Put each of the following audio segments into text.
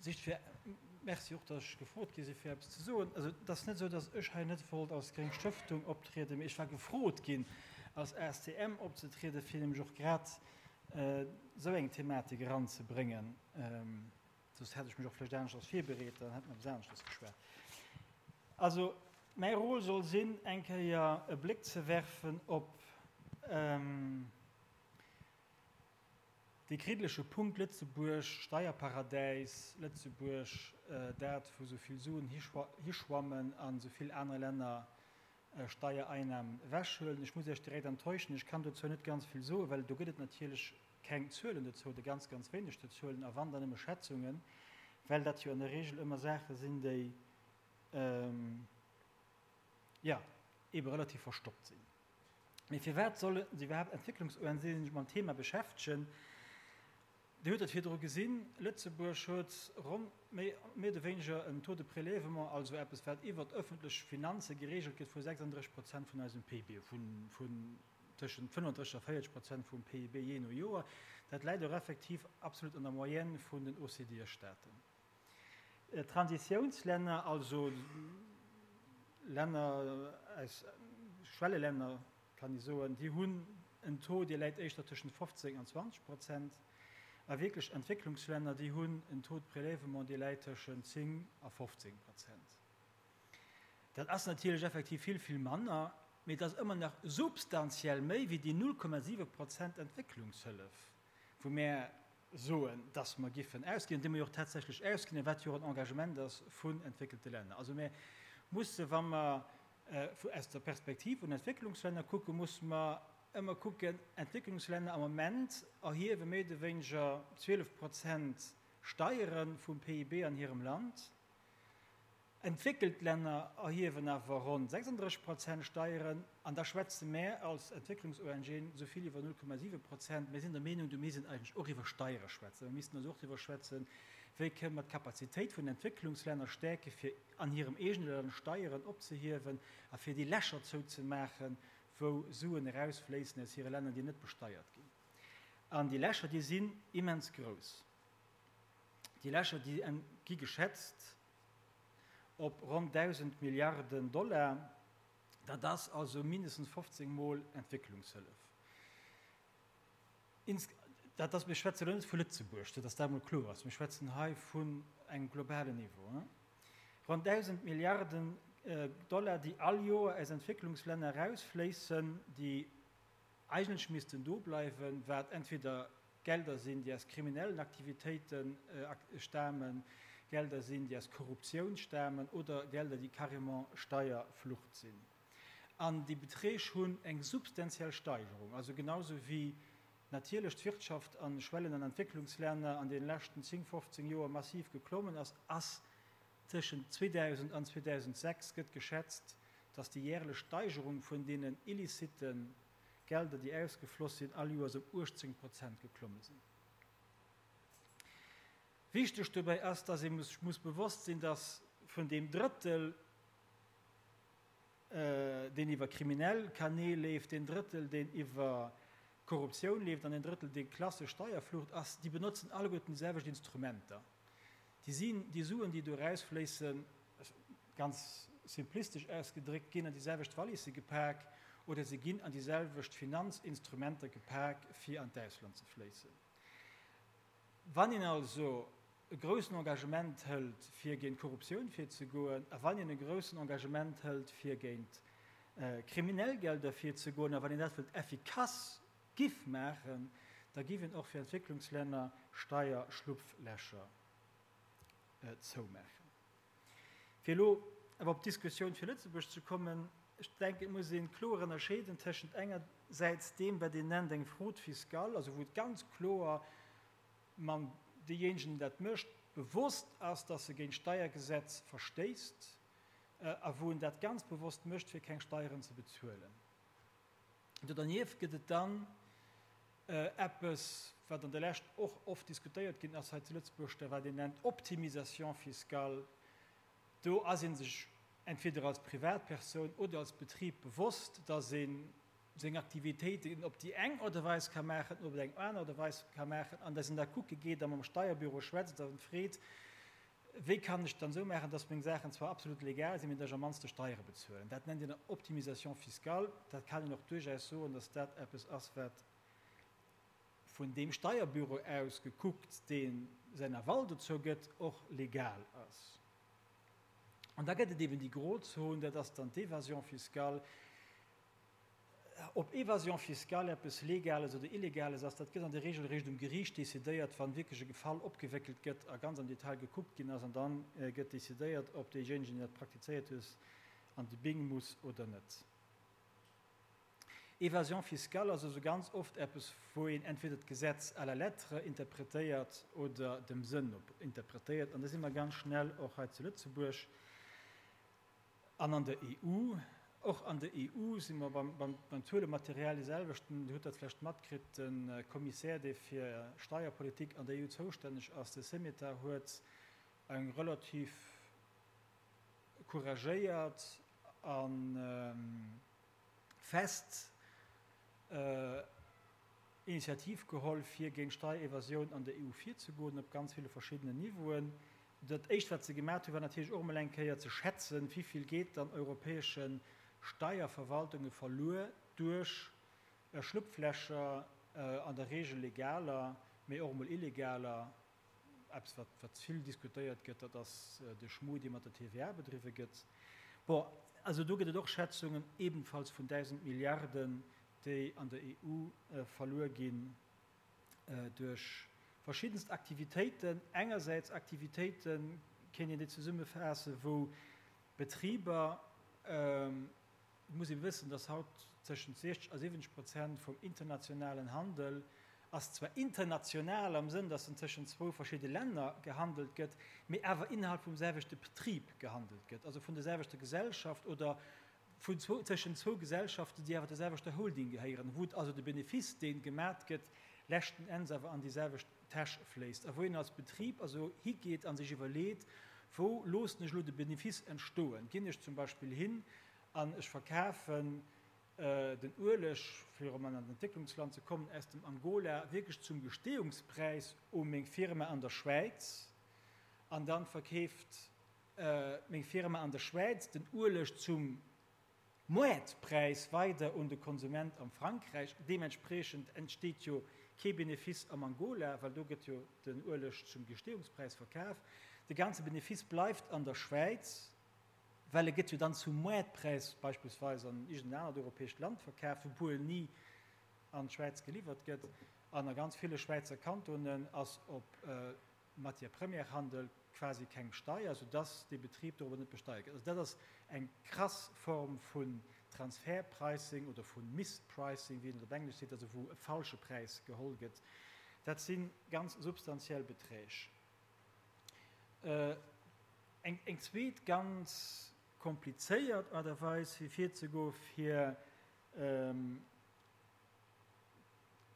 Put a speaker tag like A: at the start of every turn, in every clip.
A: Sicht fir, Merci och, datt ech gefrot gi si fir eppes ze soen. Also et ass net esou, datt ech hei net wollt als gréng Stëftung optrieden, mee ech war gefrot ginn als ASTM opzetrieden, fir nämlech och grad esou eng Thematik eranzebréngen. Soss hätt ech mech och vläicht aneschters virbereet, dann hätt mer eppes aneschters geschwat. Also mäi Rôle soll sinn, eng Kéier e Bléck ze werfen op Dee kriddleche Punkt Lëtzebuerg, Steierparadäis, Lëtzebuerg, dat wou sou vill Suen hischwammen an sou vill aner Länner Steiereinnahmen ewechhuelen. Ech muss Iech direkt enttäuschen, ech kann dozou net ganz vill soen, well do gëtt et natierlech keng Zuelen dozou oder ganz, ganz wéineg Zuelen a wann, dann nëmme Schätzungen, well dat jo an der Regel ëmmer Saache sinn, déi, jo, eebe relativ verstoppt sinn. Mee firwat solle sech iwwerhaapt Entwécklungs-ONGen sech mam Thema beschäftegen? Dir hutt et virdru gesinn, Lëtzebuerg huet ronn, méi oder wéineger en Taux de prélèvement, also eppes wat iwwert ëffentlech Finanze gereegelt gëtt, vu 36 Prozent vun eisem PIB, vun tëschent 35 a 40 Prozent vum PIB jee no Joer. Dat läit och effektiv absolut an der Moyenne vun den OCDE-Staaten. Transitiounslänner, also Länner aus Schwellelänner, kann ee soen, déi hunn en Taux, dee läit éischter tëschent 15 an 20 Prozent. A wierklech Entwécklungslänner, déi hunn en Taux de prélèvement, dee läit tëschent 10 a 15 Prozent. Dat ass natierlech effektiv vill, vill manner, mee et ass ëmmer nach substantiell méi wéi déi 0,7 Prozent Entwécklungshëllef, wou mär soen, dass mer giffen ausginn, an déi mer jo och tatsächlech ausginn, a wat jo och en Engagement ass vun entwéckelte Länner. Also mir musse, wa mer aus der Perspektiv vun Entwécklungslänner kucken, musse mer ëmmer kucken, Entwécklungslänner am Moment erhiewe méi oder wéineger 12 Prozent Steiere vum PIB an hirem Land. Entwéckelt Länner erhiewen awer ronn 36 Prozent Steieren, an da schwätze mär als Entwécklungs-ONGen esou vill iwwer 0,7 Prozent. Mir sinn der Meenung, do misst een eigentlech och iwwer Steiere schwätzen. Mir missten also och driwwer schwätzen, wéi kënne mer d'Kapazitéit vun den Entwécklungslänner stäerke fir an hirem eegene Land Steieren opzehiewen a fir déi Lächer zouzemaachen, wou Suen erausfléissen aus hire Länner, déi net besteiert ginn. An déi Lächer, déi sinn immens grouss. Déi Lächer, déi gi geschätzt op ronn 1.000 Milliarden Dollar. Dat ass also mindestens 15 Mol Entwécklungshëllef. Dat ass, mir schwätzen elo net vu Lëtzebuerg, fir datt dat emol kloer ass, mir schwätzen hei vun engem globalen Niveau. Ronn 1.000 Milliarden Dollar, déi all Joer aus Entwécklungslänner erausfléissen, déi eigentlech missten do bleiwen, wat entweder Gelder sinn, déi aus kriminellen Aktivitéite stamen, Gelder sinn, déi aus Korruptioun stamen oder Gelder, déi carrément Steierflucht sinn. An déi Beträg hunn eng substantiell Steigerung, also genau sou wéi natierlech d'Wirtschaft a Schwellen an Entwécklungslänner an deene leschten 10, 15 Joer massiv geklommen ass, ass tëschent 2000 an 2006 gëtt geschätzt, dass déi järlech Steigerung vun deenen illicite Gelder, déi ausgefloss sinn, all Joers ëm 18 Prozent geklomme sinn. Wichteg dobäi ass, dass ee sech muss bewosst sinn, dass vun deem Drëttel, deen iwwer kriminell Kanäl leeft, deen Drëttel, deen iwwer Korruptioun leeft an deen Drëttel, dee klassesch Steierflucht ass, déi benotzen alleguerten déi selwecht Instrumenter. Déi sinn, déi Suen, déi do erausfléissen, ganz simplistesch ausgedréckt, ginn an déi selwecht Walisse gepak oder se ginn an déi selwecht Finanzinstrumenter gepak, fir an d'Ausland ze fléissen. Wann een also e groussen Engagement hëlt, fir géint Korruptioun virzegoen, a wann een e groussen Engagement hëlt, fir géint kriminell Gelder virzegoen, a wann een dat wëllt effikass giff maachen, da giff een och fir Entwécklungslänner Steierschlupflächer zoumaachen. Fir elo awer op d'Diskussioun fir Lëtzebuerg ze kommen, ech denken, et muss ee kloer ënnerscheeden tëschent engersäits deem, wat een nennt eng Fraude fiscale, also wou et ganz kloer mam deejéinegen, deen dat mécht, bewosst ass, dass e géint d'Steiergesetz verstéisst a wou en dat ganz bewosst mécht, fir keng Steieren ze bezuelen. Do dernieft gëtt et dann eppes, wat an der Lescht och oft diskutéiert ginn ass hei zu Lëtzebuerg, dat wat een nennt Optimisation fiscale. Do ass ee sech entweder als Privatpersoun oder als Betrib bewosst, dass ee seng Aktivitéiten op déi eng Aart a Weis ka maachen oder op eng aner Aart a Weis ka maachen, an dass een da kucke geet a mam Steierbüro schwätzt a freet. Wéi kann ech dann esou maachen, dass meng Saachen zwar absolut legal sinn, mee dass ech am mannste Steiere bezuelen? Dat nennt een Optimisation fiscale. Dat kann een och duerchaus soen, dass dat eppes ass, wat vun deem Steierbüro aus gekuckt, dee säin Aval dozou gëtt, och legal ass. An da gëtt et eben déi Grozon, dat ass dann d'Évasion fiscale. Ob Évasion fiscale eppes Legales oder Illegales ass, dat gëtt an der Regel eréischt um Geriicht decidéiert, wann wierklech e Fall opgewéckelt gëtt a ganz am Detail gekuckt ginn ass. An da gëtt decidéiert, ob deejéinegen, deen dat praktizéiert huet, an de Bing muss oder net. Évasion fiscale ass also ganz oft eppes, wou een entweder d'Gesetz à la lettre interpretéiert oder dem Sënn no interpretéiert. An da si mer ganz schnell och hei zu Lëtzebuerg an an der EU. Och an der EU si mer beim Zuelematerial dee selwechten. Dir hutt dat vläicht matkritt, de Kommissär, dee fir Steierpolitik an der EU zoustänneg ass, de Semeta, huet eng relativ couragéiert a fest Initiativ geholl, fir géint Steierevasioun an der EU virzegoen, op ganz ville verschiddenen Niveauen. Dat Éischt, wat se gemaat hunn, war natierlech och emol eng Kéier ze schätzen, wivill geet dann europäesche Steierverwaltunge verluer duerch Schlupflächer, an der Regel legaler, mee och emol illegaler, Eppes, wat, wat vill diskutéiert gëtt, dat ass de Schmu, dee mat der TVA bedriwwe gëtt. Bon, also do gëtt et och Schätzungen, ebenfalls vun 1.000 Milliarden, déi an der EU verluer ginn duerch verschiddenst Aktivitéiten. Engersäits Aktivitéiten, kéint een déi zesummefaassen, wou Betriber, Et muss ee wëssen, dass haut tëschent 60 a 70 Prozent vum internationalen Handel ass zwar international am Sënn, dass en tëschent zwou verschidde Länner gehandelt gëtt, mee awer innerhalb vum selwechte Betrib gehandelt gëtt, also vun der selwechter Gesellschaft oder vun zwou, tëschent zwou Gesellschaften, déi awer der selwechter Holding gehéieren, wou also de Benefice, dee gemat gëtt, leschten Enns awer an déi selwecht Täsch fléisst a wou een als Betrib also higeet a sech iwwerleet, Wou loossen ech elo de Benefice entstoen? Ginn ech zum Beispill hin an ech verkafen den Ueleg, fir erëm an en Entwécklungsland ze kommen, aus dem Angola wierklech zum Gestehungspräis u meng Firma an der Schwäiz an dann verkeeft meng Firma an der Schwäiz den Ueleg zum Moartpräis weider un de Konsument am Frankräich. Deementspriechend entsteet jo kee Benefice am Angola, well do gëtt jo den Ueleg zum Gestehungspräis verkaf. De ganze Benefice bleift an der Schwäiz, well e gëtt jo dann zum Moartpräis beispillsweis an iergend en anert europäescht Land verkaf, wou en ni an d'Schwäiz geliwwert gëtt. An a ganz ville Schwäizer Kantonen ass op Matière-première-Handel quasi keng Steier, soudass dee Betrib dorobber net besteiert gëtt. Also dat ass eng krass Form vun Transferpricing oder vu Mispricing, wéi een et op Englesch seet, also wou e falsche Präis geholl gëtt. Dat si ganz substantiell Beträg. Eng zweet ganz komplizéiert Aart a Weis fir virzegoen, fir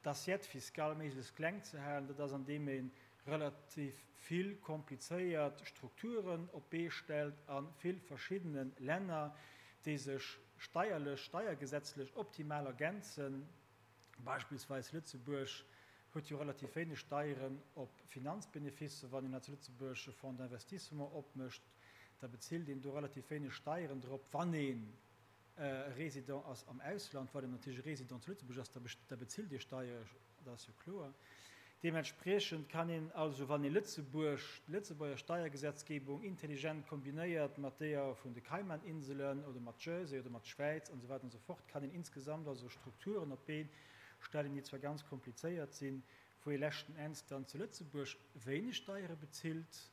A: d'Assiette fiscale méiglechst kleng ze halen, dat ass andeem ee relativ vill komplizéiert Strukturen op d'Bee stellt a vill verschiddene Länner, déi sech steierlech, steiergesetzlech optimal ergänzen. Beispillsweis Lëtzebuerg huet jo relativ wéineg Steieren op Finanzbeneficer. Wann een hei zu Lëtzebuerg e Fonds d'investissement opmécht, da bezilt een do relativ wéineg Steieren drop, wann een e Résident ass am Ausland, wann een natierlech e Résident zu Lëtzebuerg ass, da bezilt ee Steier, dat ass jo kloer. Deementspriechend kann een also, wann ee Lëtzebuerg, d'Lëtzebuerger Steiergesetzgebung intelligent kombinéiert mat deeër vun de Kaimaninselen oder mat Jersey oder mat Schwäiz an esou weider an esou fort, kann een insgesamt also Strukturen op d'Been stellen, déi zwar ganz komplizéiert sinn, wou ee leschten Enns dann zu Lëtzebuerg wéineg Steiere bezilt,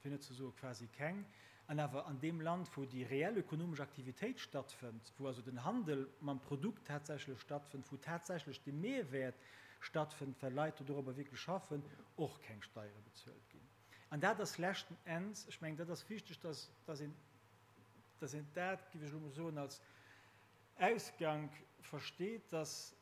A: fir net ze soe quasi keng, an awer an deem Land, wou déi reell ökonomesch Aktivitéit stattfënnt, wou also den Handel mam Produkt tatsächlech stattfënnt, wou tatsächlech de Mehrwäert stattfënnt, well Leit do dorobber wierklech schaffen, och keng Steiere bezuelt ginn. An dat ass leschten Enns, ech mengen, dat ass wichteg, dass, dass een, dass een dat, géif ech elo mol soen, als Ausgank versteet, dass,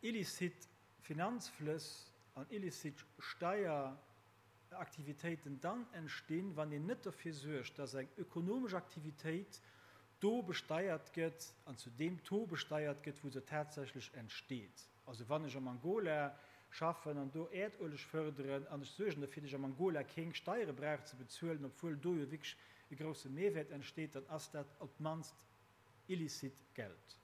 A: Illicit Finanzflëss an illicit Steieraktivitéiten dann entstinn, wann een net derfir suergt, dass eng ökonomesch Aktivitéit do besteiert gëtt an zu deem Taux besteiert gëtt, wou se tatsächlech entsteet. Also wann ech am Angola schaffen an do Äerdueleg fërderen an ech suergen derfir, datt ech am Angola keng Steiere brauch ze bezuelen, obwuel do jo wierklech e grousse Mehrwäert entsteet, dann ass dat op d'mannst illicite Geld.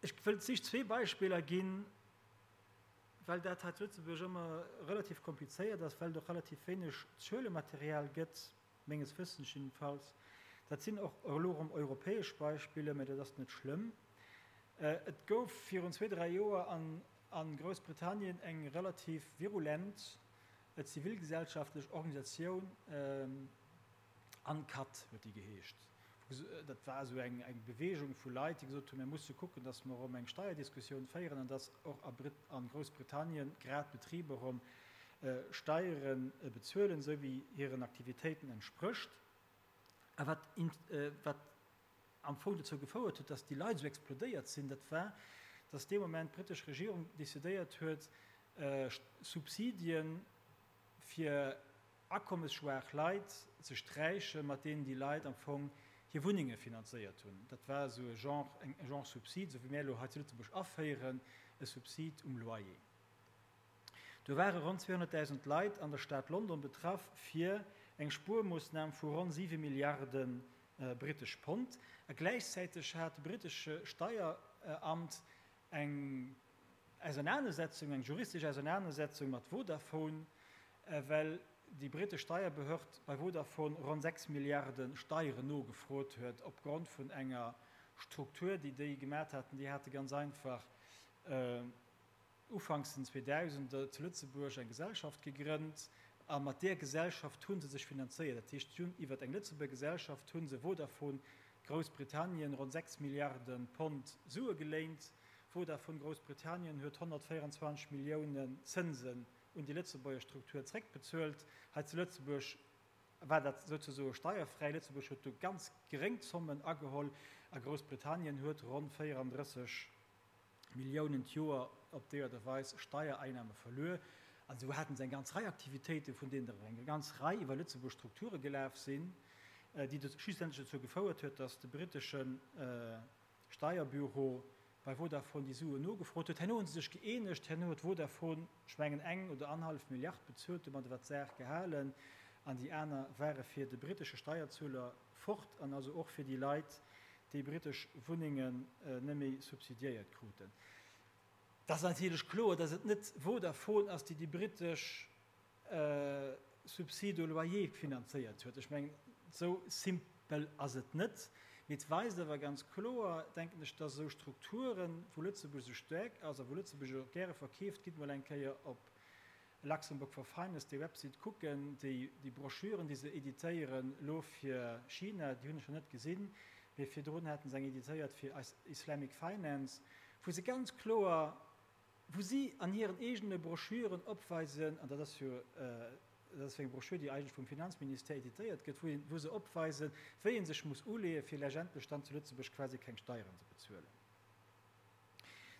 A: Ech wëll just zwee Beispiller ginn, well dat hei zu Lëtzebuerg ëmmer relativ komplizéiert ass, well et och relativ wéineg Zuelematerial gëtt, menges Wëssens jiddefalls. Dat sinn och elo erëm europäesch Beispiller, mä dat ass net schlëmm. Et gouf virun zwee, dräi Joer a Groussbritannien eng relativ virulent zivilgesellschaftlech Organisatioun, Uncut huet déi geheescht. Dat war esou eng Beweegung vu Leit, déi gesot hunn, mir musse kucken, datt mer erëm eng Steierdiskussioun féieren an datt och a Groussbritannien grad d'Betriber erëm Steiere bezuelen, esou wéi hiren Aktivitéiten entsprécht. A wat wat am Fong dozou gefouert huet, datt déi Leit esou explodéiert sinn, dat war, datt dee Moment d'brittesch Regierung decidéiert huet, Subsidien fir akommesschwaach Leit ze sträichen, mat deenen déi Leit am Fong hir Wunnenge finanzéiert hunn. Dat war esou e Genre, eng Genre Subsid, esou wéi mir elo hei zu Lëtzebuerg aféieren, e Subsid um Loyer. Do ware ronn 200.000 Leit an der Stad London betraff fir eng Spuermoossnam vu ronn 7 Milliarde brittesch Pond. A gläichzäiteg hat de brittesche Steieramt eng Ausernanersetzung, eng juristesch Ausernanersetzung mat Vodafone, well déi brittesch Steierbehörd bei Vodafone ronn 6 Milliarde Steieren nogefrot huet opgrond vun enger Struktur, déi déi gemat haten. Déi hate ganz einfach ufanks den Zweedausender zu Lëtzebuerg eng Gesellschaft gegrënnt a mat där Gesellschaft hu se sech finanzéiert. Dat heescht, si hunn iwwert eng Lëtzebuerger Gesellschaft hu se Vodafone Groussbritannien ronn 6 Milliarde Pond Sue geléint. Vodafone Groussbritannien huet 124 Milliounen Zënsen un déi Lëtzebuerger Struktur zréckbezuelt. Hei zu Lëtzebuerg war dat souzesoe steierfräi. Lëtzebuerg huet do ganz geréng Zommen ageholl a Groussbritannien huet ronn 34 Milliounen d'Joer op déi Aart a Weis Steiereinnahme verluer. An esou haten se eng ganz Rei Aktivitéiten, vun deenen der eng ganz Rei iwwer Lëtzebuerg Strukture gelaf sinn, déi schlussendlech dozou gefouert huet, datt de brittesche Steierbüro bei Vodafone déi Suen nogefrot huet. Herno hu se sech gëeenegt, herno huet Vodafone, ech mengen, eng oder annerhallef Milliard bezuelt, domadder war d'Saach gehalen an déi aner ware fir de brittesche Steierzueler fort an also och fir déi Leit, déi brittesch Wunnengen net méi subsidiéiert kruten. Et ass natierlech kloer, datt et net Vodafone ass, déi déi brittesch Subside au loyer finanzéiert huet. Ech mengen, esou simpel ass et net. Mee et weist awer ganz kloer, denken ech, dass esou Strukturen, wou Lëtzebuerg esou staark ass a wou Lëtzebuerg och gäre verkeeft, gitt mol eng Kéier op Luxembourg for Finance, déi Website kucken, déi, déi Broschüren, déi se editéieren elo fir China, déi hunn ech nach net gesinn, mee virdrun haten se eng editéiert fir Islamic Finance, wou se ganz kloer, wou si an hiren eegene Broschüren opweisen, an dat ass jo, dat ass jo eng Broschür, déi eigentlech vum Finanzministère editéiert gëtt, wou, wou se opweisen, wéi ee sech muss uleeën, fir letztendlech dann zu Lëtzebuerg quasi keng Steieren ze bezuelen.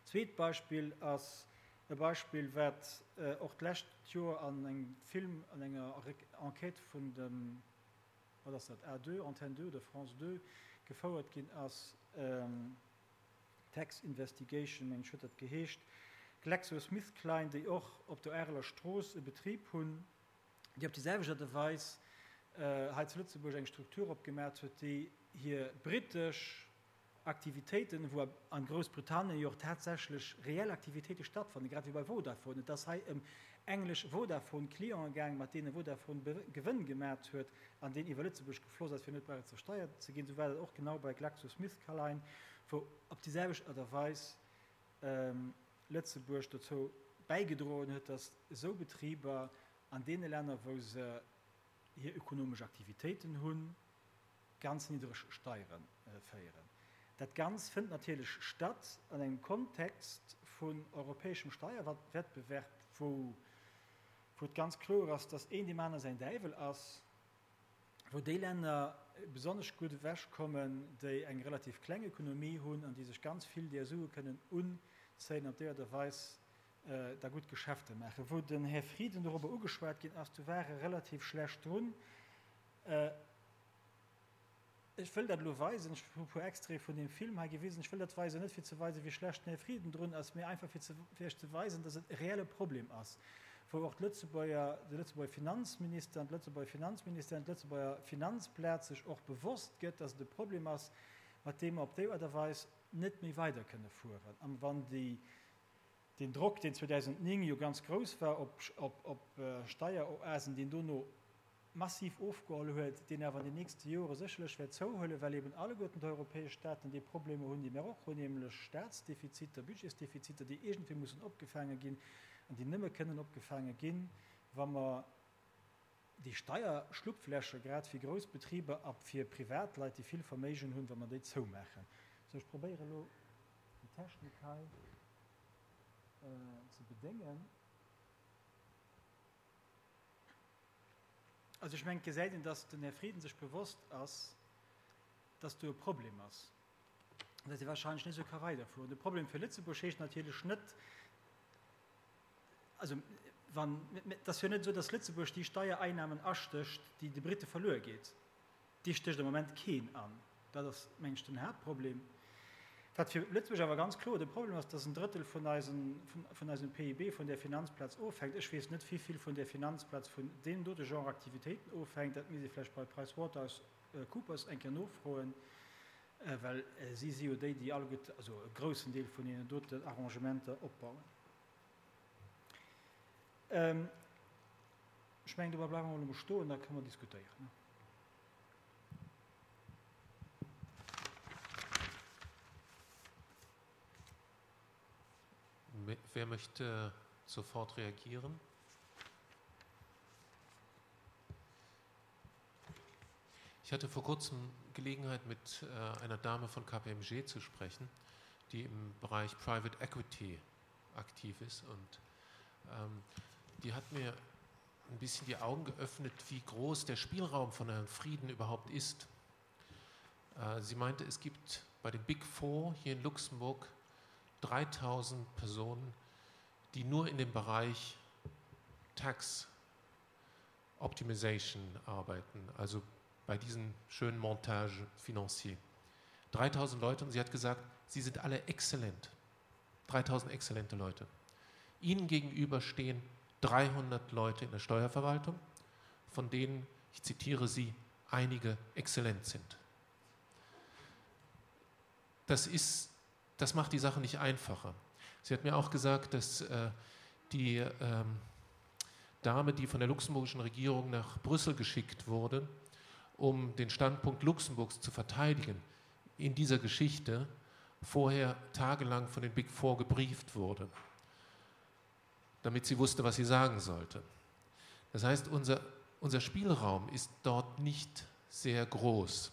A: Zweet Beispill ass e Beispill, wat och d'lescht Joer an engem Film, an enger Enquête vun dem, wat ass dat, A2, Antenne 2 oder France 2 gefouert ginn ass, Tax Investigation, mengen ech huet dat geheescht, GlaxoSmithKline, déi och op der Areler Strooss e Betrib hunn, déi op déi selwecht Aart a Weis hei zu Lëtzebuerg eng Struktur opgemat huet, déi hir brittesch Aktivitéiten, wou a Groussbritannien jo och tatsächlech reell Aktivitéite stattfannen, grad wéi bei Vodafone, et ass hei ëm englesch Vodafone-Clienten gaang, mat deene Vodafone Gewënn gemat huet an deen iwwer Lëtzebuerg gefloss ass, fir net brauchen zersteiert ze ginn. Esou war dat och genau bei GlaxoSmithKline, wou op déi selwecht Aart a Weis Lëtzebuerg dozou bäigedroen huet, datt esou Betriber an deene Länner, wou se hir ökonomesch Aktivitéiten hunn, ganz niddreg Steiere féieren. Dat Ganz fënnt natierlech statt an engem Kontext vun europäeschem Steierwettbewerb, wou et ganz kloer ass, dass een deem aner säin Däiwel ass, wou déi Länner besonnesch gutt ewechkommen, déi eng relativ kleng Ökonomie hunn an déi sech ganz vill där Sue kënnen unzéien an op déi Aart a Weis da gutt Geschäfte maachen. Wou den Här Frieden dorobber ugeschwat ginn ass, do war e relativ schlecht drun. Ech wëll dat elo weisen, ech hu e puer Extraite vun deem Film hei gewisen, ech wëll dat weisen net fir ze weisen, wéi schlecht den Här Frieden drun ass, mee einfach fir ze, fir Iech ze weisen, dass et e reelle Problem ass, wou och d'Lëtzebuerger, de Lëtzebuerger Finanzminister an d'Lëtzebuerger Finanzministère an d'Lëtzebuerger Finanzplaz sech och bewosst gëtt, dass et e Problem ass, mat deem mer op déi Aart a Weis net méi weider kënne fueren. An wann déi, deen Drock, deen 2009 jo ganz grouss war op, op, op Steieroasen, deen dono massiv ofgeholl huet, deen awer an den nächste Jore sécherlech wäert zouhuelen, well eben alleguerten d'europäesch Staaten déi Problemer hunn, déi mär och hunn, nämlech Staatsdefiziter, Budgetsdefiziter, déi iergendwéi mussen opgefaange ginn an déi nëmme kënnen opgefaange ginn, wa mer déi Steierschlupflächer grad fir grouss Betriber a fir Privatleit, déi vill Verméigen hunn, wa mer déi zoumaachen. Sou, ech probéiere elo déi Technik hei ze bedéngen. Also ech mengen, et gesäit een, datt den Här Frieden sech bewosst ass, datt do e Problem ass, datt ee wahrscheinlech net esou ka weiderfueren. De Problem fir Lëtzebuerg heescht natierlech net, also wann, et ass jo net esou, datt Lëtzebuerg déi Steiereinnahmen astécht, déi de Brite verluer geet. Déi stécht am Moment keen an. Dat ass, mengen ech, den Haaptproblem. Wat fir Lëtzebuerg awer ganz kloer de Problem ass, dass en Drëttel vun eisen, vun eisem PIB vun där Finanzplaz ofhänkt. Ech weess net, wéi vill vun där Finanzplaz vun deem dote Genre Aktivitéiten ofhänkt. Dat misst ee vläicht bei PricewaterhouseCoopers eng Kéier nofroen, well si si jo déi, déi alleguerte, also e groussen Deel vun deenen doten Arrangementer opbauen. Ech mengen, dobäi bleiwe mer elo mol stoen, da kënne mer diskutéieren.
B: Wer möchte sofort reagieren? Ich hatte vor kurzem Gelegenheit, mit äh, einer Dame von KPMG zu sprechen, die im Bereich Private Equity aktiv ist. Und ähm, die hat mir ein bisschen die Augen geöffnet, wie groß der Spielraum von Herrn Frieden überhaupt ist. Äh, sie meinte, es gibt bei den Big Four hier in Luxemburg 3000 Personen, die nur in dem Bereich Tax Optimization arbeiten, also bei diesen schönen Montage financier. 3000 Leute und sie hat gesagt, sie sind alle exzellent. 3000 exzellente Leute. Ihnen gegenüber stehen 300 Leute in der Steuerverwaltung, von denen, ich zitiere sie, einige exzellent sind. Das, ist, das macht die Sache nicht einfacher. Sie hat mir auch gesagt, dass äh, die ähm, Dame, die von der luxemburgischen Regierung nach Brüssel geschickt wurde, um den Standpunkt Luxemburgs zu verteidigen in dieser Geschichte, vorher tagelang von den Big Four gebrieft wurde, damit sie wusste, was sie sagen sollte. Das heißt, unser, unser Spielraum ist dort nicht sehr groß.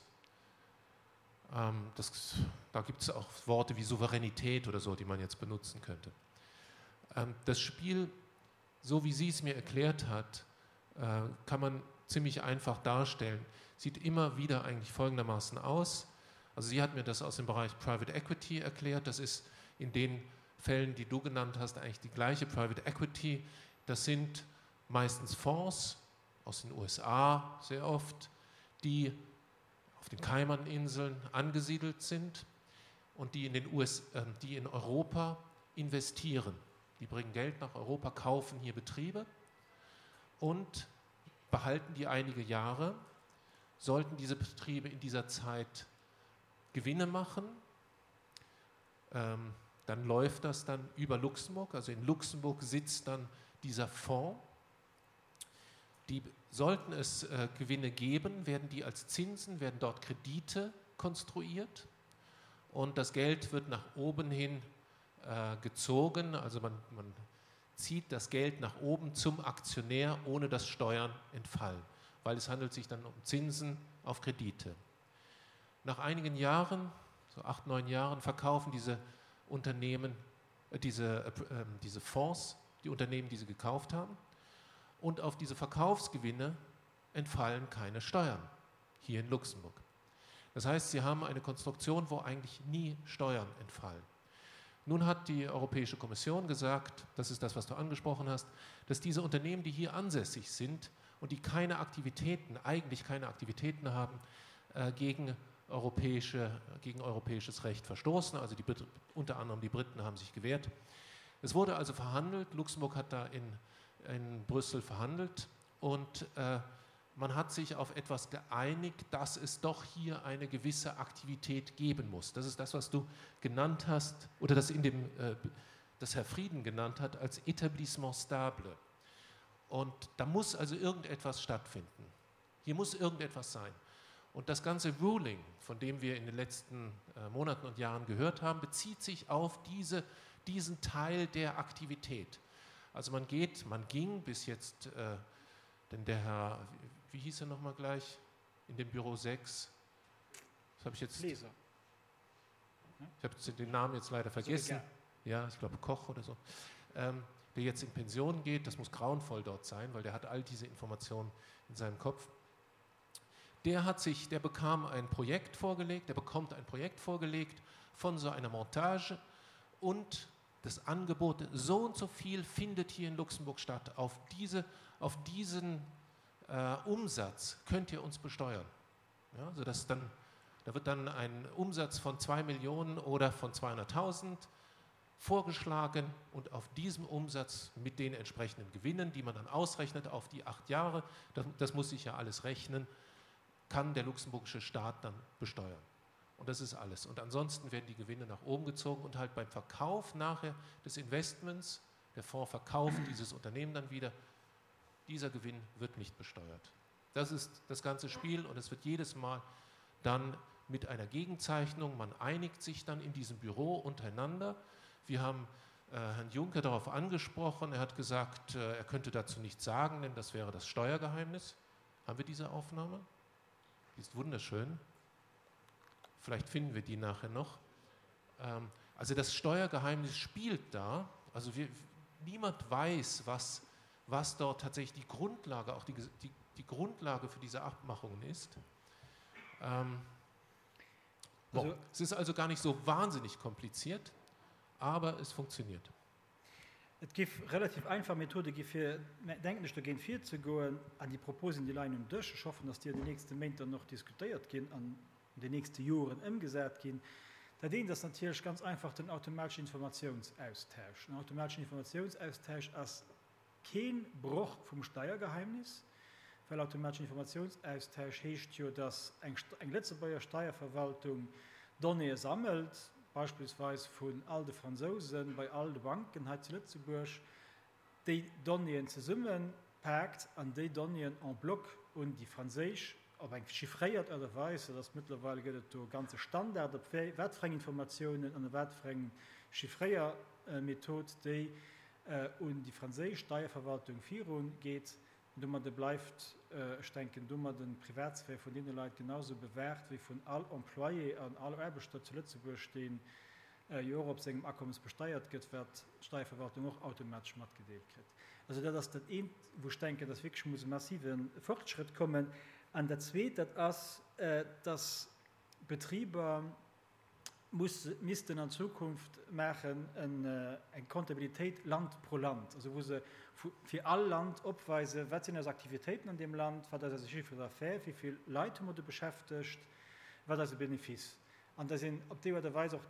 B: Ähm, das, da gibt es auch Worte wie Souveränität oder so, die man jetzt benutzen könnte. Ähm, das Spiel, so wie sie es mir erklärt hat, äh, kann man ziemlich einfach darstellen, sieht immer wieder eigentlich folgendermaßen aus. Also sie hat mir das aus dem Bereich Private Equity erklärt. Das ist in den Fällen, die du genannt hast, eigentlich die gleiche Private Equity. Das sind meistens Fonds aus den USA sehr oft, die auf den Kaimaninseln angesiedelt sind und die in, den US, äh, die in Europa investieren. Die bringen Geld nach Europa, kaufen hier Betriebe und behalten die einige Jahre. Sollten diese Betriebe in dieser Zeit Gewinne machen, ähm, dann läuft das dann über Luxemburg. Also in Luxemburg sitzt dann dieser Fonds. Die sollten es äh, Gewinne geben, werden die als Zinsen, werden dort Kredite konstruiert und das Geld wird nach oben hin äh, gezogen. Also man, man zieht das Geld nach oben zum Aktionär, ohne dass Steuern entfallen, weil es handelt sich dann um Zinsen auf Kredite. Nach einigen Jahren, so acht, neun Jahren, verkaufen diese Unternehmen, äh, diese, äh, ähm, diese Fonds, die Unternehmen, die sie gekauft haben. Und auf diese Verkaufsgewinne entfallen keine Steuern hier in Luxemburg. Das heißt, sie haben eine Konstruktion, wo eigentlich nie Steuern entfallen. Nun hat die Europäische Kommission gesagt, das ist das, was du angesprochen hast, dass diese Unternehmen, die hier ansässig sind und die keine Aktivitäten, eigentlich keine Aktivitäten haben, äh, gegen europäische, gegen europäisches Recht verstoßen. Also die, unter anderem die Briten haben sich gewehrt. Es wurde also verhandelt. Luxemburg hat da in, in Brüssel verhandelt und äh, man hat sich auf etwas geeinigt, dass es doch hier eine gewisse Aktivität geben muss. Das ist das, was du genannt hast oder das in dem äh, das Herr Frieden genannt hat als Etablissement stable. Und da muss also irgendetwas stattfinden. Hier muss irgendetwas sein. Und das ganze Ruling, von dem wir in den letzten äh, Monaten und Jahren gehört haben, bezieht sich auf diese, diesen Teil der Aktivität. Also man geht, man ging bis jetzt, äh, denn der Herr, wie hieß er nochmal gleich, in dem Büro 6, das habe ich jetzt.
A: Leser.
B: Ich habe den Namen jetzt leider vergessen. Ja, ich glaube Koch oder so. Ähm, der jetzt in Pension geht, das muss grauenvoll dort sein, weil der hat all diese Informationen in seinem Kopf. Der hat sich, der bekam ein Projekt vorgelegt, der bekommt ein Projekt vorgelegt von so einer Montage und das Angebot, so und so viel findet hier in Luxemburg statt. Auf, diese, auf diesen äh, Umsatz könnt ihr uns besteuern. Ja, sodass dann, da wird dann ein Umsatz von 2 Millionen oder von 200.000 vorgeschlagen und auf diesem Umsatz mit den entsprechenden Gewinnen, die man dann ausrechnet auf die acht Jahre, das, das muss sich ja alles rechnen, kann der luxemburgische Staat dann besteuern. Und das ist alles. Und ansonsten werden die Gewinne nach oben gezogen und halt beim Verkauf nachher des Investments, der Fonds verkauft dieses Unternehmen dann wieder, dieser Gewinn wird nicht besteuert. Das ist das ganze Spiel und es wird jedes Mal dann mit einer Gegenzeichnung, man einigt sich dann in diesem Büro untereinander. Wir haben äh, Herrn Juncker darauf angesprochen, er hat gesagt, äh, er könnte dazu nichts sagen, denn das wäre das Steuergeheimnis. Haben wir diese Aufnahme? Die ist wunderschön. Vielleicht finden wir die nachher noch. Ähm, also das Steuergeheimnis spielt da. Also wir, niemand weiß, was, was dort tatsächlich die Grundlage, auch die, die, die Grundlage für diese Abmachungen ist. Ähm, bon, also, es ist also gar nicht so wahnsinnig kompliziert, aber es funktioniert.
A: Et géif relativ einfach Methode gi fir, denken ech, dogéint virzegoen. An déi Proposen, déi leien um Dësch. Ech hoffen, datt déi an den nächste Méint dann och diskutéiert ginn an an den nächste Joren ëmgesat ginn. Dat eent ass natierlech ganz einfach den automateschen Informatiounsaustausch. Den automateschen Informatiounsaustausch ass kee Broch vum Steiergeheimnis, well automateschen Informatiounsaustausch heescht jo, datt eng eng Lëtzebuerger Steierverwaltung Donnéeë sammelt, beispillsweis vun all de Fransousen bei all de Banken hei zu Lëtzebuerg, déi Donnéeën zesummepaakt an déi Donnéeën en bloc un déi franséisch op eng chiffréiert Aart a Weis, dat ass mëttlerweil gëtt et do e ganze Standard, op wat fir eng Informatiounen an wat fir eng Chiffréiermethod déi un déi franséisch Steierverwaltung virun geet. Domadde bleift, ech denken, domadden d'Privatsphär vun deene Leit genau sou bewahrt wéi vun all Employé an all Aarbechter zu Lëtzebuerg, dee jo och op sengem Akommes besteiert gëtt, wat d'Steierverwaltung och automatesch matgedeelt kritt. Also dat ass dat eent, wou ech denken, dass wierklech muss e massive Fortschrëtt kommen. An dat Zweet, dat ass, dass Betriber, muss, missten an Zukunft maachen eng Comptabilitéit Land pro Land, also wou se fir all Land opweisen, wat sinn eis Aktivitéiten an deem Land, wat ass eise Chiffre d'affaires, wéi vill Leit hu mer do beschäftegt, wat ass eise Benefice. An dass een op déi Aart a Weis och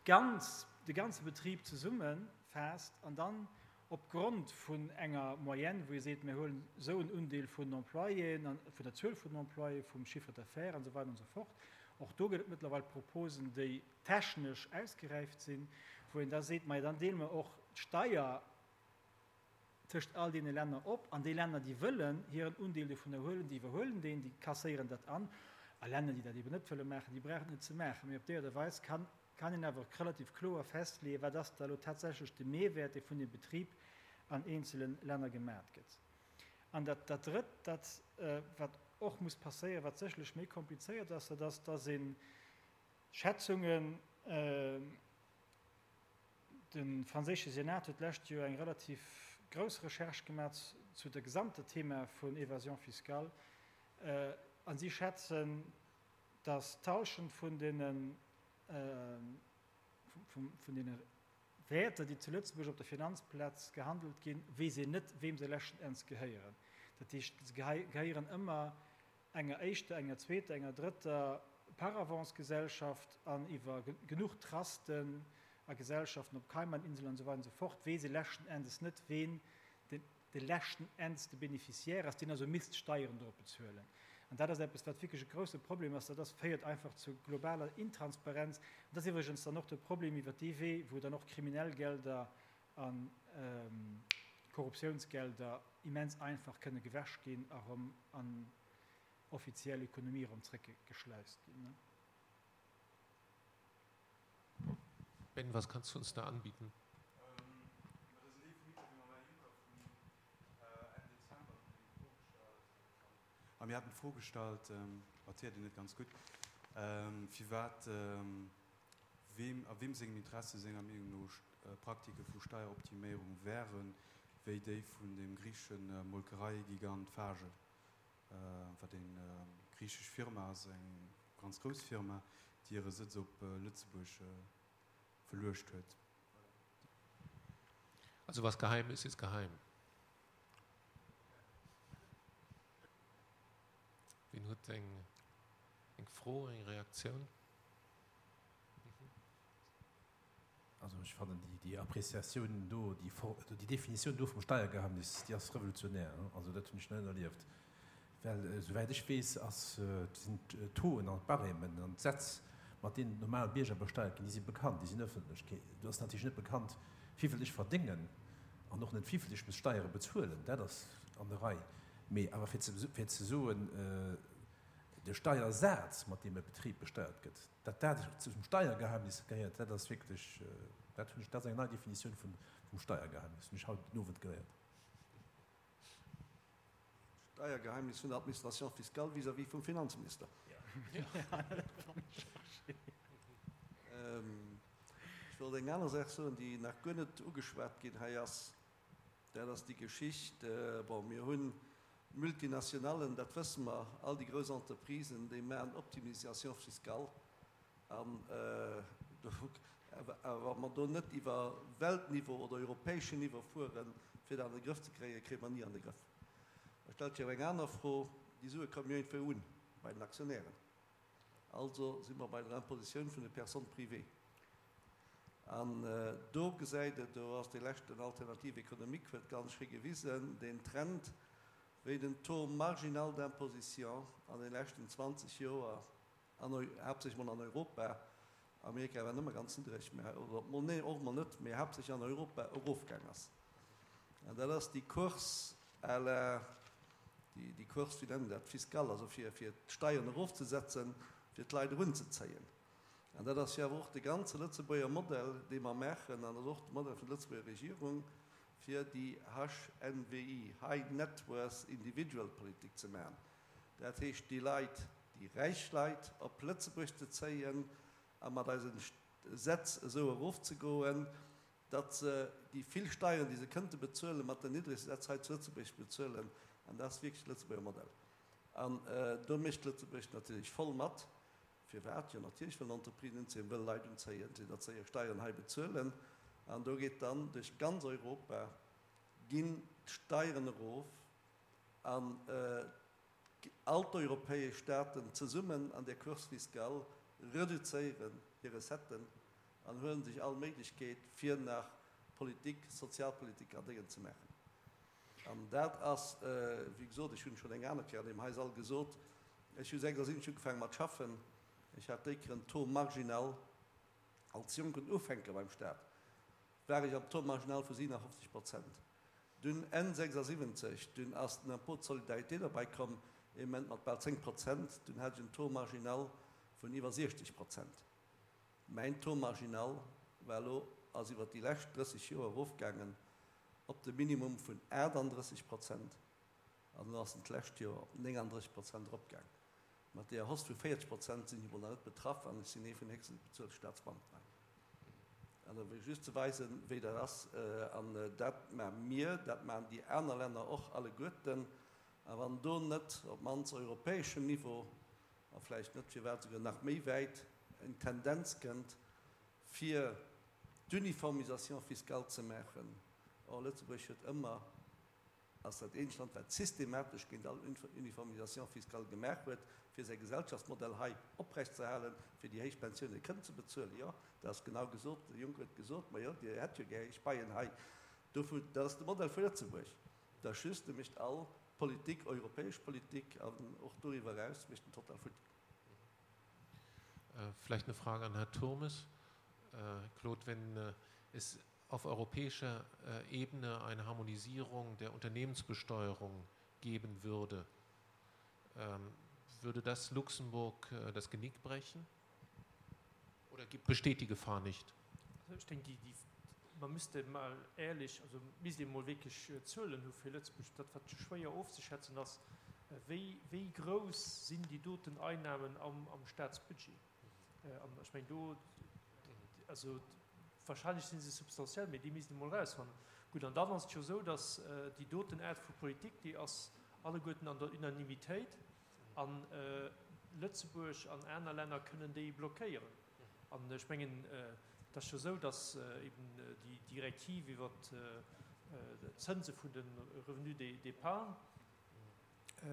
A: d'ganz, de ganze Betrib zesummefaasst an dann opgrond vun enger Moyenne, wou ee seet, mir huelen esou en Undeel vun den Employéen an vun der Zuel vun den Employéen, vum Chiffre d'affaires an esou weider an esou fort. Och do gëtt et mëttlerweil Proposen, déi technesch ausgeräift sinn, wou een da seet, majo dann deele mer och d'Steier tëscht all deene Länner op an déi Länner, déi wëllen hiren Undeel dovunner huelen, déi iwwerhuelen deen, déi kasséieren dat an a Länner, déi dat eeben net wëlle maachen, déi brauchen et net ze maachen. Mee op déi Aart a Weis kann kann een awer relativ kloer festleeën, wat ass da elo tatsächlech de Mehrwert, dee vun dem Betrib an eenzele Länner gemat gëtt. An dat, dat Drëtt, dat, wat och muss passéieren, wat sécherlech méi komplizéiert ass, dat ass, dass ee Schätzungen, de franséische Senat huet d'lescht Joer eng relativ grouss Recherche gemat zu der gesamter Thema vun Évasion fiscale, a si schätzen, dass d'Halschent vun deene vun deene Wäerter, déi zu Lëtzebuerg op der Finanzplaz gehandelt ginn, weess een net, weem se leschten Enns gehéieren. Dat heescht, se gehéieren ëmmer enger éischter, enger zweeter, enger drëtter. Paravents-Gesellschaft an iwwer genuch Trusten a Gesellschaften op Kaimaninseln an esou weider an esou fort weess ee leschten Endes net, ween de leschten Endes de Bénéficiaire ass, deen also misst Steieren dorop bezuelen. An dat ass eppes, wat wierklech e grouse Problem ass. Dat ass, féiert einfach zu globaler Intransparenz. An dat ass iwwregens dann och de Problem iwwert dee Wee, wou dann och kriminell Gelder a Korruptiounsgelder immens einfach kënne gewäsch ginn a rëm an offiziell Ökonomie erëm zréckgeschleist ginn.
B: Ben, was kannst du uns da anbieten?
C: A mir haten d'Fro gestallt, hatt héiert een net ganz gutt, firwat, weem, a weem sengem Interesse senger Meenung no Praktike vu Steieroptiméierung wären, wéi déi vun dem griichesche Molkereigigant Fage, wat eng griichesch Firma ass, eng ganz grouss Firma, déi hire Sëtz op Lëtzebuerg verluecht huet.
B: Also was geheim ist, ist geheim. Wien huet eng eng Fro, eng Reaktioun?
D: Also ech fannen déi déi Appréciatioun do, déi déi Definitioun do vum Steiergeheimnis, déi ass revolutionär. Also dat hunn ech nach net erlieft. Well esouwäit ech weess, ass sinn d'Tauxen an d'Barèmen an d'Sätz, mat deenen d'normal Bierger besteiert ginn, déi si bekannt, déi sinn ëffentlech. Do ass natierlech net bekannt, wivill ech verdéngen an och net wivill ech muss Steiere bezuelen. Dat ass an der Rei. Mee awer fir ze fir ze soen, de Steiersaz, mat deem e Betrib besteiert gëtt, Datt dat zum Steiergeheimnis gehéiert, dat ass wierklech, dat hunn ech, dat ass eng nei Definitioun vum Steiergeheimnis, hunn ech haut den Owend geléiert.
E: Steiergeheimnis vun der Administration fiscale vis-à-vis vum Finanzminister. Ech wollt eng aner Saach soen, déi nach guer net ugeschwat ginn hei ass. Dat ass déi Geschicht, bon, mir hunn d'Multinationallen, dat wësse mer, all déi grouss Entreprisen, déi maachen Optimisation fiscale. An awer wa mer do net iwwer Weltniveau oder europäeschen Niveau fueren, fir dat an de Grëff ze kréien, kréie mer ni an de Grëff. Da stellt sech awer eng aner Fro, Déi Sue kommen jo iergendwéi un bei den Aktionären. Also si mer bei der Impositioun vun de Personnes privées. An do gesäit et, do ass dee leschten Alternative économique huet ganz schéi gewisen, deen Trend, wéi den Taux marginal d'imposition an de leschten 20 Joer, an haaptsächlech mol an Europa, Amerika war nëmme ganz niddreg, mä, oder mol, nee, och mol net, mä haaptsächlech an Europa erofgaang ass. An dat ass déi Course à la, déi Course, wéi nennen dat, fiscale, also fir d'Steieren erofzesetzen, fir d'Leit erunzezéien. An dat ass jo awer och de ganze Lëtzebuerger Modell, dee mer maachen, an dat ass och de Modell vun der Lëtzebuerger Regierung, fir déi HNWI, High Net Worth Individual Politik ze maachen. Dat heescht, déi Leit, déi räich Leit op Lëtzebuerg ze zéien a mat eise Sätz esou erofzegoen, datt se déi vill Steieren, déi se kënnte bezuelen, mat den niddregste Sätz hei zu Lëtzebuerg bezuelen. An dat ass wierklech de Lëtzebuerger Modell. An do mécht Lëtzebuerg natierlech voll mat. Firwat? Jo natierlech wëllen Entreprisen unzéien, wëlle Leit unzéien, fir datt se hir Steieren hei bezuelen. An do geet dann duerch ganz Europa ginn d'Steieren erof an all d'europäesch Staaten zesummen an där Course fiscale reduzéieren hir Recetten an huelen sech all Méiglechkeet fir nach Politik, Sozialpolitik an Déngen ze maachen. An dat ass, wéi gesot, ech hunn et schonn eng aner Kéier an deem hei Sall gesot, ech hu 76 ugefaange mat schaffen, ech hat déi Kéier en Taux marginal als jonken Ufänker beim Staat, war ech am Taux marginal vu 57 Prozent. Dunn Enn 76, dunn ass den Impôt de solidarité derbäi komm, ee Moment mat bal 10 Prozent, dunn hat ech en Taux marginal vun iwwer 60 Prozent. Mäin Taux marginal war elo, ass iwwer déi lescht 30 Joer erofgaangen op de Minimum vun 38 Prozent an elo ass en d'lescht Joer op 39 Prozent eropgaang. Mat deeër Hausse vu 40 Prozent sinn ech emol nach net betraff an ech sinn ee vun den héchste bezuelte Staatsbeamten hei. An da wëll ech just ze weisen, wéi dat ass. An dat maache mir, dat maachen déi aner Länner och alleguerten. A wann do net op d'mannst europäeschem Niveau a vläicht net firwat esouguer nach méi wäit eng Tendenz kënnt, fir d'Uniformisation fiscale ze maachen. Or, Lëtzebuerg huet ëmmer, ass dat eenzegt Land, wat systematesch géint all Uniformisation fiscale gemaach huet. Fir säi Gesellschaftsmodell hei oprecht ze erhalen, fir déi héich Pensioune kënnen ze bezuelen. Jo, dat ass genau gesot, de Juncker huet gesot, Ma jo, Dir hätt jo gär héich Paien hei. Dovu, dat ass de Modell vu Lëtzebuerg. Dat ass just, e mécht all Politik, europäesch Politik an och doriwwer eraus, mécht en total futti.
B: Vielleicht eine Frage an Herrn Turmes. Claude, wenn es auf europäischer Ebene eine Harmonisierung der Unternehmensbesteuerung geben würde, würde das Luxemburg das Genick brechen? Oder besteht die Gefahr nicht?
F: Also ech denken, déi, déi, man müsste mal ehrlech, also misst ee mol wierklech Zuelen hu fir Lëtzebuerg, dat wat schwéier ofzeschätzen ass, wéi, wéi grouss sinn déi doten Einnahmen am, am Staatsbudget. An ech mengen do, also wahrscheinlech si se substantiell, mee déi misst ee mol erausfannen. Gutt, an dann ass et jo esou, datt déi doten Aart vu Politik, déi ass alleguerten an der Unanimitéit, a Lëtzebuerg an aner Länner kënnen déi blockéieren. An ech mengen, et ass jo esou, datt eben déi Direktiv iwwert d'Zënse vun de Revenus d'épargne,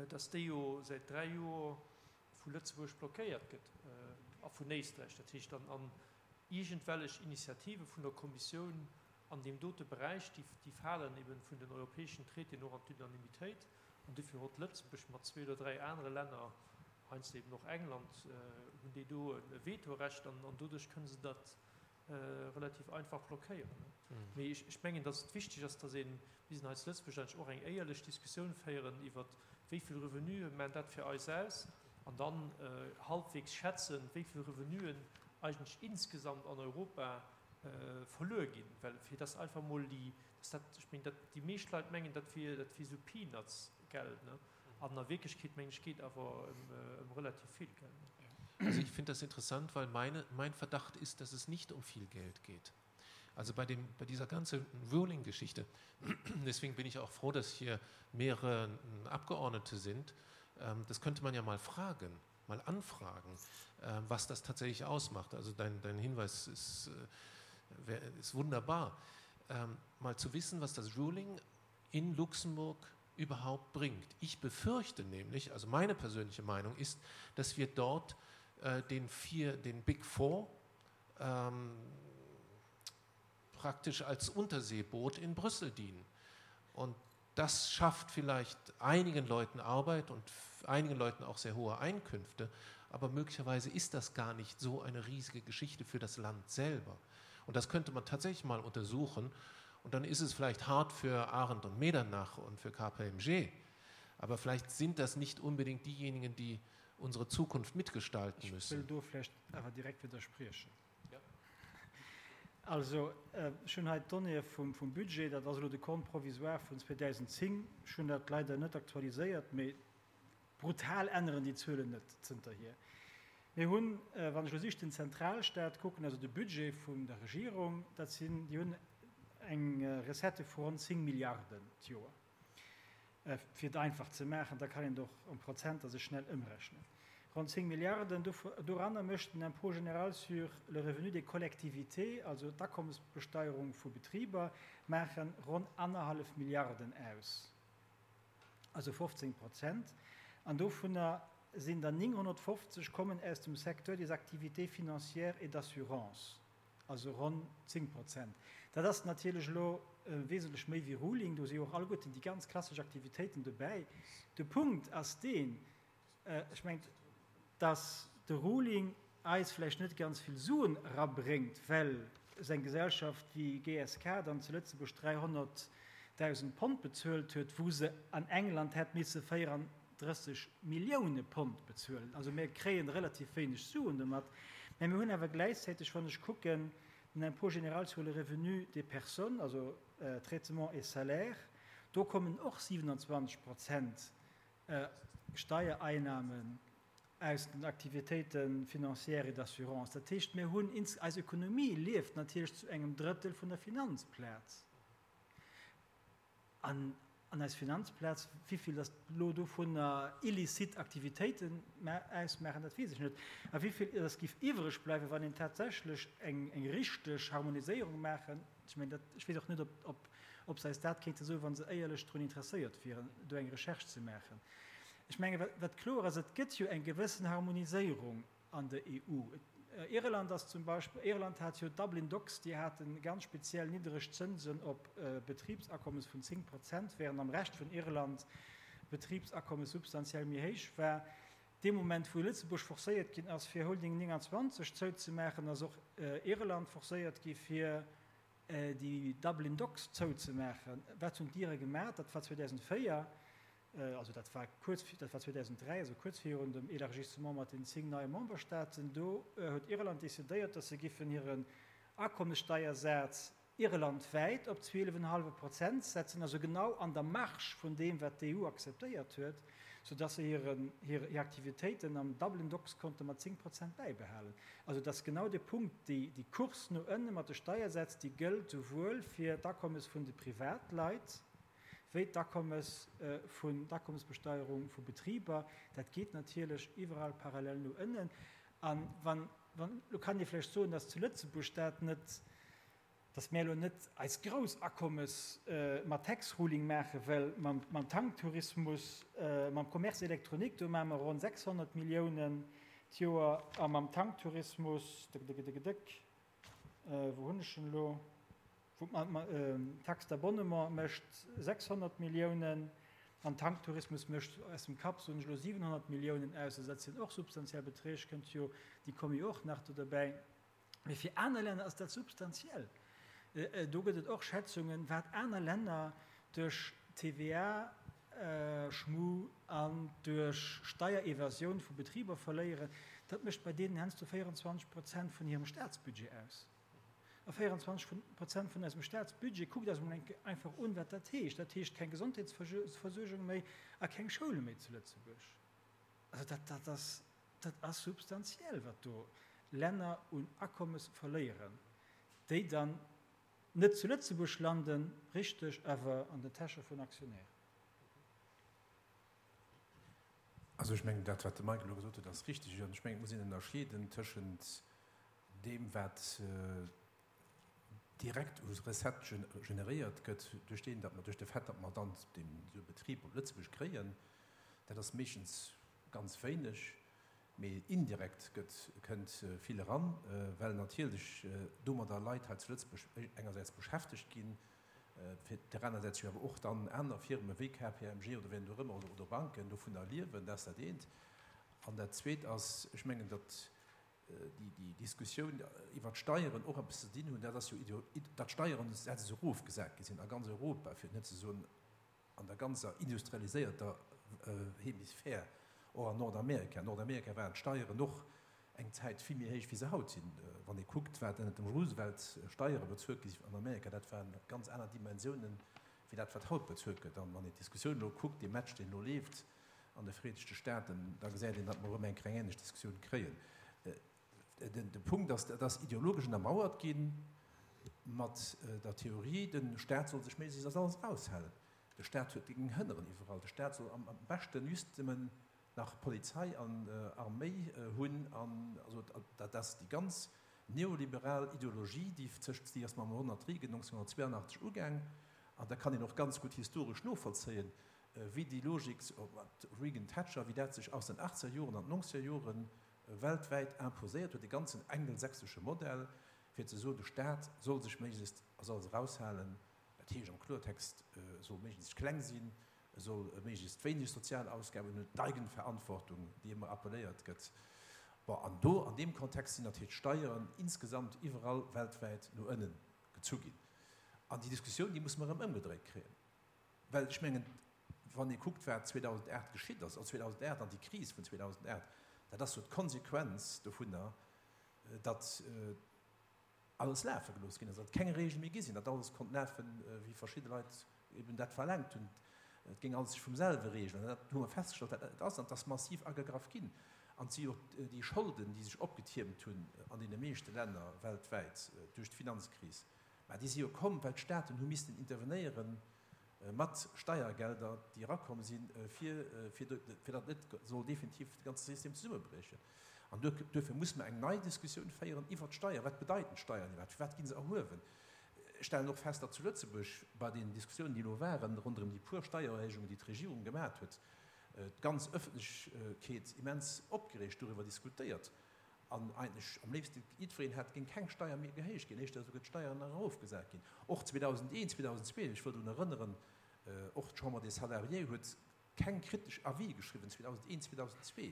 F: datt déi jo säit dräi Joer vu Lëtzebuerg blockéiert gëtt a vun Éisträich. Dat heescht, an iergendwellech Initiative vun der Kommissioun an deem dote Beräich, déi falen eben vun den europäeschen Traitéen och an d'Unanimitéit. An dofir hott Lëtzebuerg mat zwee oder dräi anere Länner, heiansdo eben och England, hunn déi do e Vetorecht an doduerch kënne se dat relativ einfach blockéieren. Mee ech mengen, datt et wichteg ass, datt een, mir sinn hei zu Lëtzebuerg eigentlech och eng éierlech Diskussioun féieren iwwert, wéi vill Revenue maachen dat fir eis aus, an dann halbwegs schätzen, wéi vill Revenuen eigentlech insgesamt an Europa verluer ginn. Well fir datt einfach emol déi, datt dat, ech mengen, dat déi meescht Leit mengen, dat wier, dat wier esou Peanuts-Geld, ne? An a Wierklechkeet, mengen ech, geet awer ëm relativ vill Geld.
B: Also ich finde das interessant, weil meine, mein Verdacht ist, dass es nicht um viel Geld geht. Also bei, dem, bei dieser ganzen Ruling-Geschichte, deswegen bin ich auch froh, dass hier mehrere Abgeordnete sind, ähm, das könnte man ja mal fragen, mal anfragen, ähm, was das tatsächlich ausmacht. Also dein, dein Hinweis ist, äh, ist wunderbar. Ähm, mal zu wissen, was das Ruling in Luxemburg überhaupt bringt. Ich befürchte nämlich, also meine persönliche Meinung ist, dass wir dort äh, den, vier, den Big Four ähm, praktisch als Unterseeboot in Brüssel dienen. Und das schafft vielleicht einigen Leuten Arbeit und einigen Leuten auch sehr hohe Einkünfte, aber möglicherweise ist das gar nicht so eine riesige Geschichte für das Land selber. Und das könnte man tatsächlich mal untersuchen. Und dann ist es vielleicht hart für Arendt und Medernach und für KPMG, aber vielleicht sind das nicht unbedingt diejenigen, die unsere Zukunft mitgestalten müssen.
A: Ech wëll do vläicht awer direkt widderspriechen. Also, ech hunn hei d'Donnéeë vum Budget, dat ass elo de Compte provisoire vun 2010. Ech hunn dat leider net aktualiséiert, mee brutal änneren déi Zuelen net zënterhier. Mir hunn, wann ech elo just den Zentralstaat kucken, also de Budget vun der Regierung, dat sinn, déi hunn eng Recette vu ronn 10 Milliarden d'Joer. Fir et einfach ze maachen, da kann een et och en Prozenter sech schnell ëmrechnen. Ronn 10 Milliarden, doranner mécht den Impôt général sur le revenu des collectivités, also d'Akommesbesteierung vu Betriber, maache ronn annerhallef Milliarden aus, also 15 Prozent. An dovunner sinn der 950 kommen aus dem Secteur des activités financières et d'assurance. Also ronn 10 Prozent. Dat ass natierlech elo wesentlech méi wéi Ruling. Do si jo och alleguerten déi ganz klassesch Aktivitéiten dobäi. De Punkt ass deen, ech mengen, dass de Ruling eis vläicht net ganz vill Suen erabréngt, well esou eng Gesellschaft wéi GSK dann zu Lëtzebuerg 300.000 Pond bezuelt huet, wou se an England hätt misse 34 Millioune Pond bezuelen. Also mir kréien relativ wéineg Suen domat, mä mir hunn awer gläichzäiteg, wann ech kucken, den Impôt général sur le revenu des personnes, also Traitement et salaires, do kommen och 27 Prozent Steiereinnahmen aus den Activitéiten financières et d'assurance. Dat heescht, mir hunn, eis Ökonomie lieft natierlech zu engem Drëttel vun der Finanzplaz. An an eis Finanzplaz, wivill datt elo dovunner illicite Aktivitéiten ausmaachen, dat weess ech net. A wivill datt géif iwwreg bleiwen, wann een tatsächlech eng eng richteg Harmoniséierung maachen, ech mengen dat, ech weess och net, ob ob se eis dat kéinte soen, wa se éierlech drun interesséiert wieren, do eng Recherche ze maachen. Ech menge wat kloer ass, et gëtt jo eng gewëssen Harmoniséierung an der EU. Irland ass zum Beispill, Irland hat jo Dublin Docs, déi hate ganz speziell niddereg Zënsen op Betribsakommes vun 10 Prozent, während am Rescht vun Irland d'Betribsakommes substantiell méi héich war. Dee Moment wou Lëtzebuerg forcéiert ginn ass fir Holding 29 zouzemaachen, ass och Irland forcéiert gi fir déi Dublin Docs zouzemaachen. Wat hunn d'Ire gemaach? Dat war 2004. Also dat war kuerz, dat war 2003, also kuerz virun dem Élargissement mat den 10 neie Memberstaaten, do huet Irland decidéiert, datt se giffen hiren Akommessteiersaz irlandwäit op 12,5 Prozent setzen, also genau an der Marge vun deem, wat d'EU akzeptéiert huet, soudatt se hiren, hir Aktivitéiten am Dublin Docks konnte mat 10 Prozent bäibehalen. Also et ass genau de Punkt, déi, déi Course no ënne mat de Steiersätz, déi gëllt souwuel fir d'Akommes vun de Privatleit, wéi d'Akommes vun, d'Akommesbesteuerung vu Betriber, dat geet natierlech iwwerall parallel no ënnen. A wann, wann, elo kann ee vläicht soen, dass zu Lëtzebuerg dat net, dass mär elo net eis grouss Akommes mat Tax Ruling maachen, well mam, mam Tanktourismus, mam Commerce électronique, do maache mer ronn 600 Milliounen d'Joer a mam Tanktourismus, dëck, wou hunn ech en elo? D'Taxe d'abonnement mécht 600 Milliounen an Tanktourismus mécht, aus dem Kapp soen ech elo, 700 Milliounen aus. Also dat sinn och substantiell Beträg, kënnt jo, déi komme jo och nach do derbäi. Mee fir aner Länner ass dat substantiell. Do gëtt et och Schätzungen, wat aner Länner duerch TVA-Schmu an duerch Steierevasioun vu Betriber verléieren. Dat mécht bei deenen heiansdo 24 Prozent vun hirem Staatsbudget aus. A 24 Prozent vun eisem Staatsbudget, kuckt eis emol eng Kéier einfach un, wat dat heescht. Dat heescht keng Gesondheetsversuergung méi a keng Schoule méi zu Lëtzebuerg. Also dat, dat ass, dat ass substantiell, wat do Länner un Akommes verléieren, déi dann net zu Lëtzebuerg landen, richteg, awer an den Täsche vun Aktionären.
D: Also ech mengen, dat wat de Mike elo gesot huet, ass richteg. An ech mengen, et muss een ënnerscheeden tëschent deem wat direkt u Recettë generéiert gëtt duerch deen, datt mer, duerch de Fait, datt mer dann deen esou e Betrib op Lëtzebuerg kréien, dat ass meeschtens ganz wéineg, mee indirekt gëtt, kënnt vill eran, well natierlech domadder Leit hei zu Lëtzebuerg engersäits beschäftegt ginn, fir där anersäits jo awer och dann aner Firme wéi KPMG oder wien och ëmmer oder Banken dovunner liewen. Dat ass dat eent. An dat Zweet ass, ech mengen, datt déi Diskussioun iwwert d'Steieren och eppes ze dinn hunn, dat ass jo, datt d'Steieren esou erofgesat gi sinn a ganz Europa, fir et net ze soen an der ganzer industrialiséierter Hemisphär, och an Nordamerika. An Nordamerika waren d'Steieren och eng Zäit vill méi héich, wéi se haut sinn. Wann ee kuckt, wat ënnert dem Roosevelt Steiere bezuelt gi sinn an Amerika, dat waren ganz aner Dimensiounen, wéi dat, wat haut bezuelt gëtt. An wann een d'Diskussioun elo kuckt, dee Match, deen elo leeft an de Vereenegte Staaten, da gesäit een, datt mer erëm eng kleng änlech Diskussioun kréien. De Punkt ass, dat ass ideologesch ënnermauert gi mat der Theorie, de Staat soll sech méiglechst aus alles eraushalen. De Staat huet géing hënneren iwwerall. De Staat soll am beschten just nëmmen nach Polizei an Arméi hunn. An also dat ass déi ganz neoliberal Ideologie, déi sech, déi ass mam Ronald Reagan 1982 ugaang. An da kann een och ganz gutt historesch novollzéien, wéi déi Logik, Reagan-Thatcher, wéi dat sech aus den achtzeger Joren an d'nonzeger Joren weltwäit imposéiert huet, de ganzen engelsächsesche Modell, fir ze soen, de Staat soll sech méiglechst aus alles eraushalen, dat heescht am Kloertext, e soll méiglechst kleng sinn, e soll méiglechst wéineg sozial Ausgaben hunn, d'Eigenverantwortung, déi ëmmer appelléiert gëtt. Bon, an do an deem Kontext sinn natierlech d'Steieren insgesamt iwwerall weltwäit no ënne gezu ginn. An déi Diskussioun, déi musse mer erëm ëmgedréit kréien. Well ech mengen, wann ee kuckt, wat 2008 geschitt ass, also 2008 an déi Kris vun 2008, dat ass jo d'Konsequenz dovunner, datt alles lafe gelooss ginn ass, datt keng Regele méi gi sinn, datt alles konnt lafen, wéi verschidde Leit eben dat verlaangt hunn, et géing alles sech vum selwe reegelen. An dat hu mer festgestallt, dat net ass, an et ass massiv agegraff ginn. An et si jo och déi Scholden, déi sech opgetiermt hunn an deene meeschte Länner weltwäit duerch d'Finanzkris, Mä déi si jo komm, well d'Staaten hu missten intervenéiere mat Steiergelder, déi erakomm sinn, fir fir datt net soll definitiv de ganze System zesummebriechen. An duerfir muss mer eng nei Diskussioun féieren iwwert d'Steier. Wat bedeiten d'Steiern iwwerhaapt? Firwat gi se erhuewen? Ech stellen och fest, datt zu Lëtzebuerg bei den Diskussiounen, déi elo waren ronderëm déi puer Steiererhéijungen, déi d'Regierung gemat huet. d'ganz Ëffentlechkeet immens opgereegt doriwwer diskutéiert an eigentlech am léifste jiddwereen hätt, géing keng Steier méi gehéicht ginn, éischter esouguer d'Steieren nach erofgesat ginn. Och 2001, 2002, ech wëll drun erënneren, och d'Chambre des Salariés huet keng kritesch Avis geschriwwen 2001, 2002.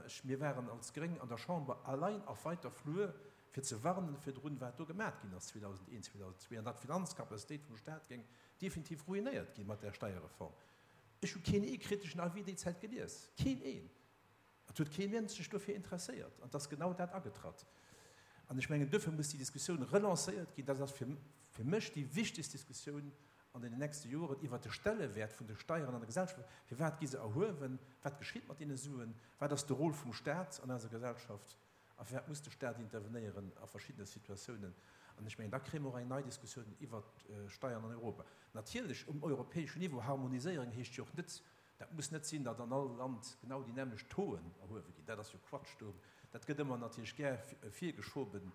D: Ech, mir waren als Gréng an der Chamber allein auf weiter Flur, fir ze warnen virdrun, wat do gemat ginn ass 2001, 2002, an datt d'Finanzcapacitéit vum Stat géing definitiv ruinéiert gi mat där Steierreform. Ech hu keen ee kriteschen Avis déi Zäit gelies, keen een. Et huet kee Mënsch sech dofir interesséiert. An et ass genau dat agetratt. An ech mengen, duerfir muss déi Diskussioun relancéiert ginn. Dat ass fir mech déi wichtegst Diskussioun an deenen nächste Joren iwwert de Stellewäert vun de Steieren an der Gesellschaft. Firwat gi se erhuewen? Wat geschitt mat deene Suen? Wat ass de Rôle vum Stat an eiser Gesellschaft? A firwat muss de Stat intervenéieren a verschiddene Situatiounen? An ech mengen, da kréie mer och eng nei Diskussioun iwwert d'Steiern an Europa. Natierlech um europäeschen Niveau, Harmoniséierung heescht jo och net, dat muss net sinn, datt an all Land genau déi nämmlecht Tauxen erhuewe ginn. Dat ass jo Quatsch. Do, dat gëtt ëmmer natierlech gär virgeschoben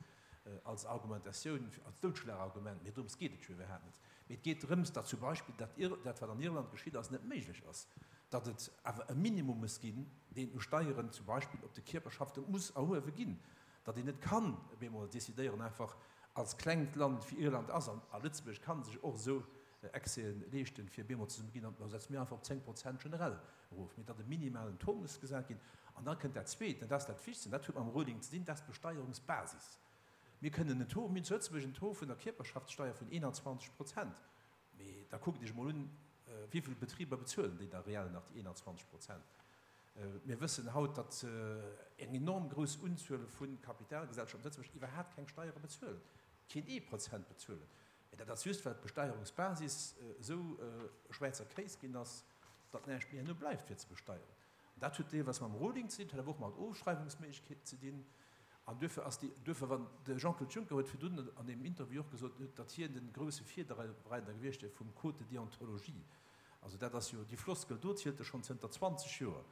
D: als Argumentatioun, als Doudschlagargument, mee drëms geet et jo iwwerhaapt net. Mee et geet drëms, datt zum Beispill dat, dat wat an Irland geschitt ass, net méiglech ass, datt et awer e Minimum muss ginn, deen u Steieren zum Beispill op de Kierperschafte muss erhuewe ginn, datt een net kann op eemol decidéieren, einfach als klengt Land wéi Irland ass, an a Lëtzebuerg ka sech och esou Excèsen leeschten, fir op eemol ze soen, mir ginn an, da setze mir einfach op 10 Prozent generell erof, mee datt e minimalen Taux muss gesat ginn. An da kënnt dat Zweet, an dat ass dat Wichtegst, an dat huet mam Ruling ze dinn, dat ass d'Besteierungsbasis. Mir kënnen en Taux, mir hunn zu Lëtzebuerg en Taux vun der Kierperschaftssteier vun 21 Prozent, mee da kuckt Iech emol un, wéi vill Betriber bezuelen déi da reell nach déi 21 Prozent. Mir wëssen haut, datt eng enorm grouss Unzuel vu Kapitalgesellschaften zu Lëtzebuerg iwwerhaapt keng Steiere bezuelen, keen ee Prozent bezuelen. Mee dat ass just, well d'Besteierungsbasis esou e Schwäizer Kéis ginn ass, datt näischt méi herno bleift fir ze besteieren. An dat huet deelweis mam Ruling ze dinn, et huet awer och mat Ofschreiwungsméiglechkeeten ze dinn. An duerfir ass déi, duerfir, wann de Jean-Claude Juncker huet virdrun an deem Interview och gesot, datt hien de grouse Virreider gewiescht wier vum Code de déontologie. Also dat ass jo, déi Floskel do zielt e schonn zënter 20 Joer.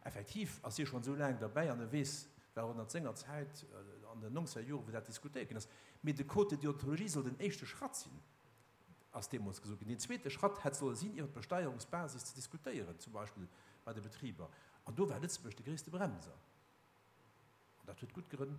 D: Effektiv ass hie schonn esou laang derbäi an e weess, war ënnert senger Zäit an den nongzeger Joren, wou dat diskutéiert ginn ass. Mee de Code de déontologie soll den éischte Schratt sinn. ass deemools gesot ginn, deen zweete Schratt hätt solle sinn, iwwer d'Besteierungsbasis ze diskutéieren, zum Beispill bei de Betriber. An do war Lëtzebuerg de gréisste Bremser. An dat huet gutt Grënn.